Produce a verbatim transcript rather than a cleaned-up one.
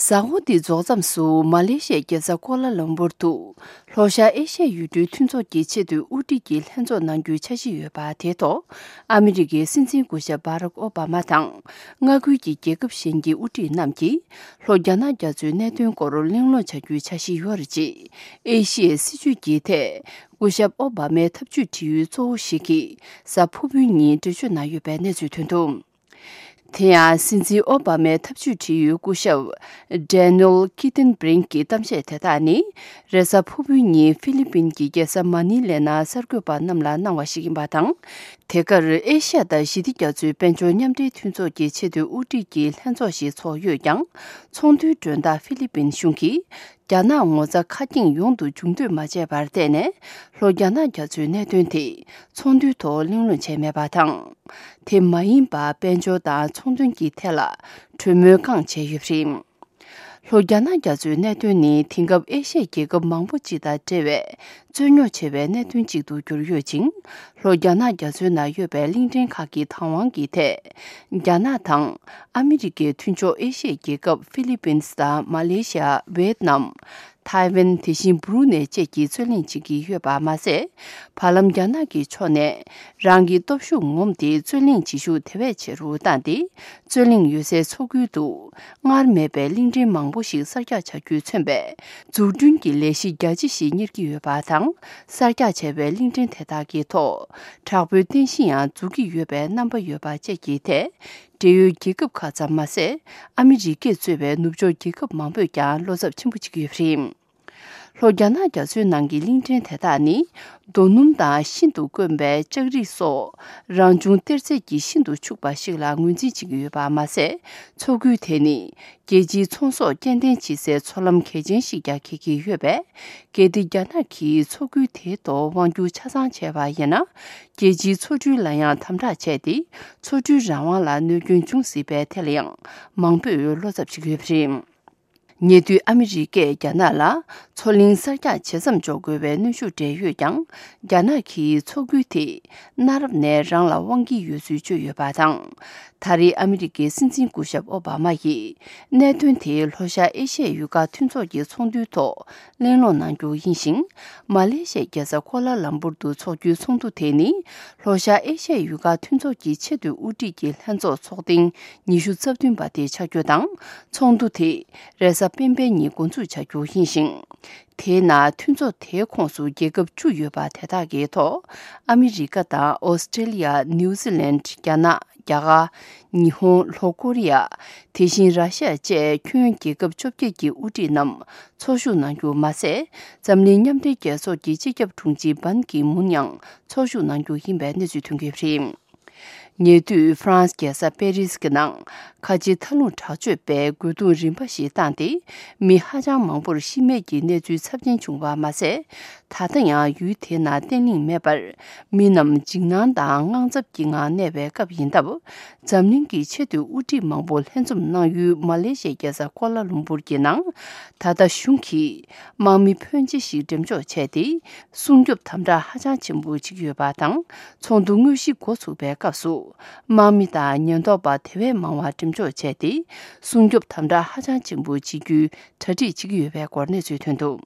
གཟའ་འཁོར་འདི་རྫོགས་མཚམས་སུ་མ་ལེ་ཤི་ཡའི་རྒྱལ་ས་ཀོ་ལ་ལམ་པུར་དུ་ལྷོ་ཤར་ཨེ་ཤི་ཡའི་ཡུལ་གྲུའི་མཐུན་ཚོགས་ཀྱི་ཆེས་མཐོའི་དབུ་ཁྲིད་ཀྱི་ལྷན་ཚོགས་གནང་རྒྱུའི་འཆར་གཞི་ཡོད་པ་དེའི་ཐོག་ཨ་མི་རི་ཀའི་སྲིད་འཛིན་སྐུ་ཞབས་བྷ་རག་ཨོ་བྷ་མ་དང་མངའ་ཁུལ་གྱི་རྒྱལ་ཁབ་གཞན་གྱི་དབུ་ཁྲིད་རྣམས་ཀྱིས་ལྷོ་རྒྱ་ནག་རྒྱ་མཚོའི་གནད་དོན་སྐོར་གླེང་སློང་བྱ་རྒྱུའི་འཆར་གཞི་ཡོད་རེད། ཅེས་ཨེ་ཤི་ཡའི་སྲིད་བྱུས་ཀྱི་ཐད་སྐུ་ཞབས་ཨོ་བྷ་མའི་ཐབས་ཇུས་བྲིས་ཡུལ་གཙོ་བོ་ཞིག་གིས་གཟའ་ཕུར་བུའི་ཉིན་འགྲེལ་བརྗོད་གནང་ཡོད་པའི་གནས་ཚུལ་ཐོན་འདུག་དེ་ཡང་སྲིད་འཛིན་ཨོ་བྷ་མའི་ཐབས་ཇུས་བྲིས་ཡུལ་སྐུ་ཞབས་Daniel Kritenbrink གི་གཏམ་བཤད་དེ་དག་ནི་རེས་གཟའ་ཕུར་བུའི་ཉིན་ཧྥི་ལི་པིན་གྱི་རྒྱལ་ས་མ་ནི་ལའི་ནང་གསར་འགོད་པ་རྣམས་ལ་གནང་བ་ཞིག་ཡིན་པ་དང་། དེ་གར་ཨེ་ཤ་ཡ་དང་ཞི་བདེ་རྒྱ་མཚོའི་དཔལ་འབྱོར་མཉམ་འབྲེལ་མཐུན་ཚོགས་ཀྱི་ཆེས་མཐོའི་དབུ་ཁྲིད་ཀྱི་ལྷན་ཚོགས་ཤིག་ཚོགས་ཡོད་ཀྱང་། ཚོགས་འདུའི་མགྲོན་བདག་ཧྥི་ལི་པིན་གཞུང་གིས། རྒྱ་ནག་ངོ་ཚ་ཁ་སྐྱེངས་ཡོང་དུ་འཇུག་འདོད་མ་བྱས་པར་བརྟེན་ནས། ལྷོ་རྒྱ་ནག་རྒྱ་མཚོའི་གནད་དོན་དེ་ཚོགས་འདུའི་ཐོག་གླེང་སློང་བྱས་མེད་པ་དང་། དེ་མ་ཡིན་པར་དཔལ་འབྱོར་དང་ཚོང་དོན་གྱི་ཐད་ལ་གྲོས་མོལ་རྐང་བྱས་ཡོད་པ་རེད། ལྷོ་རྒྱ་ནག་རྒྱ་མཚོའི་གནད་དོན་ནི་དེང་སྐབས་ཨེ་ཤ་ཡའི་རྒྱལ་ཁབ་མང་པོ་ཅིག་དང་འབྲེལ་བའི་རྩོད་རྙོག་ཆེ་བའི་གནད་དོན་ཅིག་ཏུ་གྱུར་ཡོད་ཅིང་། ལྷོ་རྒྱ་ནག་རྒྱ་མཚོའི་ནང་ཡོད་པའི་གླིང་ཕྲན་ཁག་གི་བདག་དབང་གི་ཐད། རྒྱ་ནག་དང་ཨ་མི་རི་ཀའི་མཐུན་ཕྱོགས་ཨེ་ཤི་ཡའི་རྒྱལ་ཁབ་ཧྥི་ལི་པིན་སི་དང་མ་ལེ་ཤི་ཡ། ཝེ་ཏི་ནམ། ཐའེ་ཝན། དེ་བཞིན་སྦུ་རུ་ནེ་བཅས་ཀྱིས་རྩོད་གླེང་བྱེད་ཀྱི་ཡོད་པ་མ་ཟད། བར་ལམ་རྒྱ་ནག་གི་ཕྱོགས་ནས་རང་གི་སྟོབས་ཤུགས་ངོམས་ཏེ་རྩོད་གླེང་བྱེད་ཤུགས་དེ་བས་ཆེ་རུ་བཏང་སྟེ། རྩོད་གླེང་ཡོད་སའི་མཚོ་ཁུལ་དུ་སྔར་མེད་པའི་གླིང་ཕྲན་མང་པོ་ཞིག་གསར་རྒྱག་བྱ་རྒྱུས་མཚོན་པའི་འཛུགས་སྐྲུན་གྱི་ལས་གཞི་རྒྱ་ཆེ་ཞིག་གཉེར་གྱི་ཡོད་པ་དང་། གསར་རྒྱག་བྱས་པའི་གླིང་ཕྲན་དེ་དག་གི་ཐོག་དྲག་པོའི་རྟེན་གཞི་ཡང་འཛུགས་ཀྱི་ཡོད་པའི་རྣམ་པ་ཡོད་པ་བཅས་ཀྱི་ཐད། འབྲེལ་ཡོད་རྒྱལ་ཁབ་ཁག་ཙམ་མ་ཟད། ཨ་མི་རི་ཀས་གཙོས་པའི་ནུབ་ཕྱོགས་རྒྱལ་ཁབ་མང་པོས་ཀྱང་བློ་འཚབ་ཆེན་པོ་བྱེད་ཀྱི་ཡོད་པ་རེད། ལྷོ་རྒྱ་ནག་རྒྱ་མཚོའི་ནང་གི་གླིང་ཕྲན་དེ་དག་ནི། རྡོ་སྣུམ་དང་ཤིན་ཏུ་དཀོན་པའི་ལྕགས་རིགས་སོགས་རང་བྱུང་གཏེར་རྫས་ཀྱི་ཤིན་ཏུ་ཕྱུག་པ་ཞིག་ལ་ངོས་འཛིན་བྱེད་ཀྱི་ཡོད་པ་མ་ཟད། མཚོ་ཁུལ་དེ་ནི་རྒྱལ་སྤྱིའི་ཚོང་ཟོག་སྐྱེལ་འདྲེན་བྱེད་སའི་མཚོ་ལམ་གལ་ཆེན་ཞིག་ཀྱང་འཁེལ་གྱི་ཡོད་པས། གལ་ཏེ་རྒྱ་ནག་གིས་མཚོ་ཁུལ་དེའི་ཐོག་དབང་སྒྱུར་ཆ་ཚང་བྱས་པ་ཡིན་ན། རྒྱལ་སྤྱིའི་མཚོ་འགྲུལ་ལ་ཡང་དམ་དྲག་བྱས་ཏེ། མཚོ་འགྲུལ་རང་དབང་ལ་གནོད་སྐྱོན་འབྱུང་སྲིད་པའི་ཐད་ལ་ཡང་མང་པོས་བློ་འཚབ་བྱེད་ཀྱི་ཡོད་པ་རེད། ཉེ་དུས་ཨ་མི་རི་ཀས་རྒྱ་ནག་ལ་མཚོ་གླིང་གསར་རྒྱག་བྱེད་མཚམས་འཇོག་དགོས་པའི་གནོན་ཤུགས་སྤྲད་ཡོད་ཀྱང་། རྒྱ་ནག་གིས་མཚོ་ཁུལ་དེ་གནའ་རབས་ནས་རང་ལ་དབང་གི་ཡོད་ཚུལ་བརྗོད་ཡོད་པ་དང་། ད་རེས་ཨ་མི་རི་ཀའི་སྲིད་འཛིན་སྐུ་ཞབས་ཨོ་བྷ་མ་ཡིས་གནད་དོན་དེ་ལྷོ་ཤར་ཨེ་ཤ་ཡའི་ཡུལ་ཁག་མཐུན་ཚོགས་ཀྱི་ཚོགས་འདུའི་ཐོག་གླེང་སློང་གནང་རྒྱུ་ཡིན་ཞིང་། མ་ལེ་ཤི་ཡའི་རྒྱལ་ས་ཀོ་ལ་ལམ་པུར་དུ་འཚོགས་རྒྱུའི་ཚོགས་འདུ་དེ་ནི་ལྷོ་ཤར་ཨེ་ཤ་ཡའི་ཡུལ་ཁག་མཐུན་ཚོགས་ཀྱི་ཆེས་མཐོའི་དབུ་ཁྲིད་ཀྱི་ལྷན་ཚོགས་ཚོགས་ཐེངས་ཉི་ཤུ་རྩ་བདུན་པ་དེ་ཆགས་རྒྱུ་དང་། ཚོགས་འདུ་དེ་རེས་གཟའ་སྤེན་པའི་ཉིན་འགོ་འཛུགས་བྱ་རྒྱུ་ཡིན་ཞིང་། དེའི་ནང་མཐུན་ཚོགས་དེའི་ཁོངས་སུ་རྒྱལ་ཁབ་བཅུ་ཡོད་པ་དེ་དག་གི་ཐོག་ཨ་མི་རི་ཀ་དང་ཨོ་སི་ཀྲེ་ལི་ཡ། ནིའུ་ཛི་ལན། རྒྱ་ནག་རྒྱ་གར། ཉི་ཧོང་། ལྷོ་ཀོ་རི་ཡ། དེ་བཞིན་ར་ཤི་ཡ་བཅས་ཁྱོན་རྒྱལ་ཁབ་བཅོ་བརྒྱད་ཀྱི་དབུ་ཁྲིད་རྣམས་ཚོགས་ཞུགས་གནང་རྒྱུ་མ་ཟད། འཛམ་གླིང་མཉམ་འབྲེལ་རྒྱལ་ཚོགས་ཀྱི་སྤྱི་ཁྱབ་དྲུང་ཆེ་བན་ཀི་མུན་ཡང་ཚོགས་ཞུགས་གནང་རྒྱུ་ཡིན་པའི་གནས་ཚུལ་ཐོན་གྱི་ཡོད་པ་རེད། ཉེ་དུས་ཧྥ་རན་སི་རྒྱལ་ས་པེ་རིས་ཀྱི་ནང་ཁ་ཆེ་མཐའ་ལྷུང་དྲག་སྤྱོད་པས་རྒོལ་རྡུང་རིམ་པ་ཞིག་བཏང་སྟེ། མི་ཧ་ཅང་མང་པོར་ཤི་རྨས་ཀྱི་གནས་ཚུལ་ཚབས་ཆེན་བྱུང་བ་མ་ཟད། ད་ལྟ་ཡང་ཡུལ་དེའི་ནང་བརྟན་ལྷིང་མེད་པར། མི་རྣམས་འཇིགས་སྣང་དང་དངངས་འཚབ་ཀྱི་ངང་གནས་པའི་སྐབས་ཡིན་སྟབས། འཛམ་གླིང་གི་ཆེས་མཐོའི་དབུ་ཁྲིད་མང་པོ་ལྷན་འཛོམས་གནང་ཡུལ་མ་ལེ་ཤི་ཡའི་རྒྱལ་ས་ཀོ་ལ་ལུམ་པུར་གྱི་ནང་། ད་ལྟ་གཞུང་གིས་དམག་མི་ཕོན་ཆེ་ཞིག་འགྲེམས་འཇོག་བྱས་ཏེ། སྲུང་སྐྱོབ་དམ་དྲག་ཧ་ཅང་ཆེན་པོ་བྱེད་ཀྱི་ཡོད་པ་དང་། ཚོགས་འདུ་དངོས་གཞི་འགོ་ཚུགས་པའི་སྐབས་སུ། དམག་མི་དང་ཉེན་རྟོག་པ་དེ་བས་མང་བ་འགྲེམས་འཇོག་བྱས་ཏེ། སྲུང་སྐྱོབ་དམ་དྲག་ཧ་ཅང་ཆེན་པོ་བྱེད་རྒྱུའི་གྲ་སྒྲིག་བྱེད་ཀྱི་ཡོད་པའི་སྐོར་གནས་ཚུལ་ཐོན་འདུག